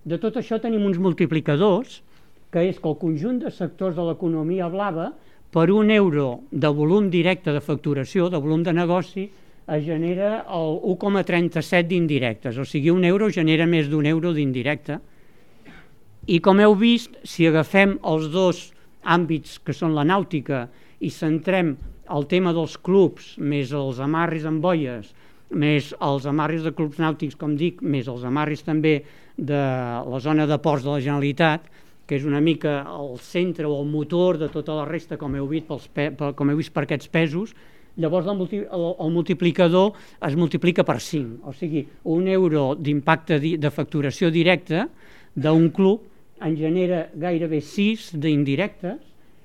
De tot això tenim uns multiplicadors, que és que el conjunt de sectors de l'economia blava, per €1 de volum directe de facturació, de volum de negoci, es genera el 1,37 d'indirectes, o sigui, €1 genera més d'1 d'indirecte. I com heu vist, si agafem els dos àmbits que són la nàutica i centrem el tema dels clubs, més els amarris amb boies, més els amarris de clubs nàutics, com dic, més els amarris també de la zona de ports de la Generalitat, que és una mica el centre o el motor de tota la resta, com heu vist per aquests pesos, llavors el multiplicador es multiplica per 5, o sigui, €1 d'impacte de facturació directa d'un club en genera gairebé 6 d'indirectes,